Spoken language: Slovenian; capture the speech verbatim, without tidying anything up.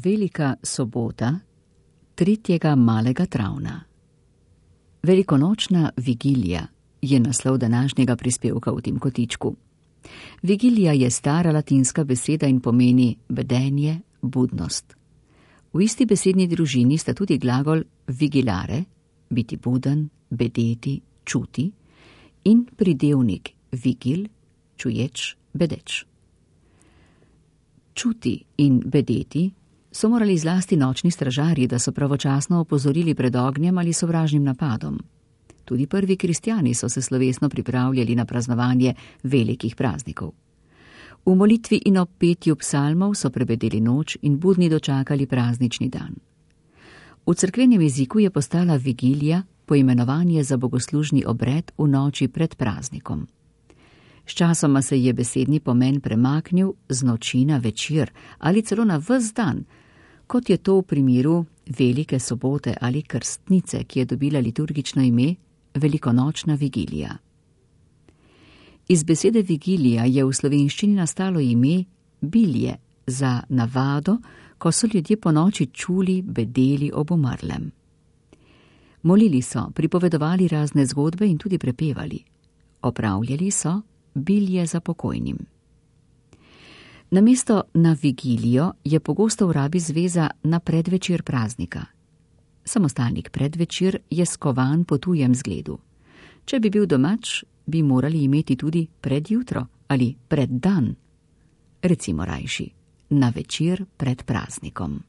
Velika sobota tretjega malega travna. Velikonočna vigilija je naslov današnjega prispevka v tem kotičku. Vigilija je stara latinska beseda in pomeni bedenje, budnost. V isti besedni družini sta tudi glagol vigilare, biti buden, bedeti, čuti, in pridevnik vigil, čuječ, bedeč. Čuti in bedeti so morali zlasti nočni stražarji, da so pravočasno opozorili pred ognjem ali sovražnim napadom. Tudi prvi kristjani so se slovesno pripravljali na praznovanje velikih praznikov. V molitvi in ob petju psalmov so prebedeli noč in budni dočakali praznični dan. V cerkvenem jeziku je postala vigilija poimenovanje za bogoslužni obred v noči pred praznikom. Sčasoma se je besedni pomen premaknil z noči na večer ali celo na ves dan, kot je to v primeru velike sobote ali krstnice, ki je dobila liturgično ime velikonočna vigilija. Iz besede vigilija je v slovenščini nastalo ime bilje za navado, ko so ljudje po noči čuli, bedeli ob umrlem. Molili so, pripovedovali razne zgodbe in tudi prepevali. Opravljali so bilje za pokojnim. Namesto na vigilijo je pogosto v rabi zveza na predvečer praznika. Samostalnik predvečer je skovan po tujem zgledu. Če bi bil domač, bi morali imeti tudi predjutro ali preddan. Recimo rajši, na večer pred praznikom.